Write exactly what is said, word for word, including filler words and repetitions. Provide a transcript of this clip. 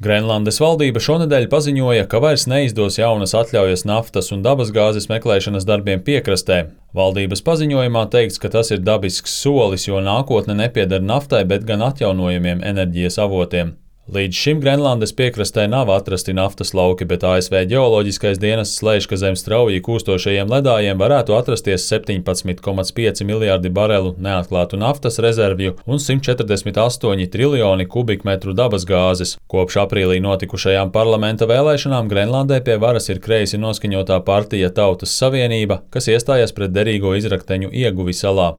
Grenlandes valdība šonedēļ paziņoja, ka vairs neizdos jaunas atļaujas naftas un dabasgāzes meklēšanas darbiem piekrastē. Valdības paziņojumā teikts, ka tas ir dabisks solis, jo nākotne nepieder naftai, bet gan atjaunojamiem enerģijas avotiem. Līdz šim Grenlandes piekrastē nav atrasti naftas lauki, bet A S V ģeoloģiskais dienests lēš, ka zem strauji kūstošajiem ledājiem varētu atrasties septiņpadsmit komats pieci miljārdi barelu neatklātu naftas rezervju un simt četrdesmit astoņi triljoni kubikmetru dabasgāzes. Kopš aprīlī notikušajām parlamenta vēlēšanām Grenlandē pie varas ir kreisi noskaņotā partija Tautas Savienība, kas iestājas pret derīgo izrakteņu ieguvi salā.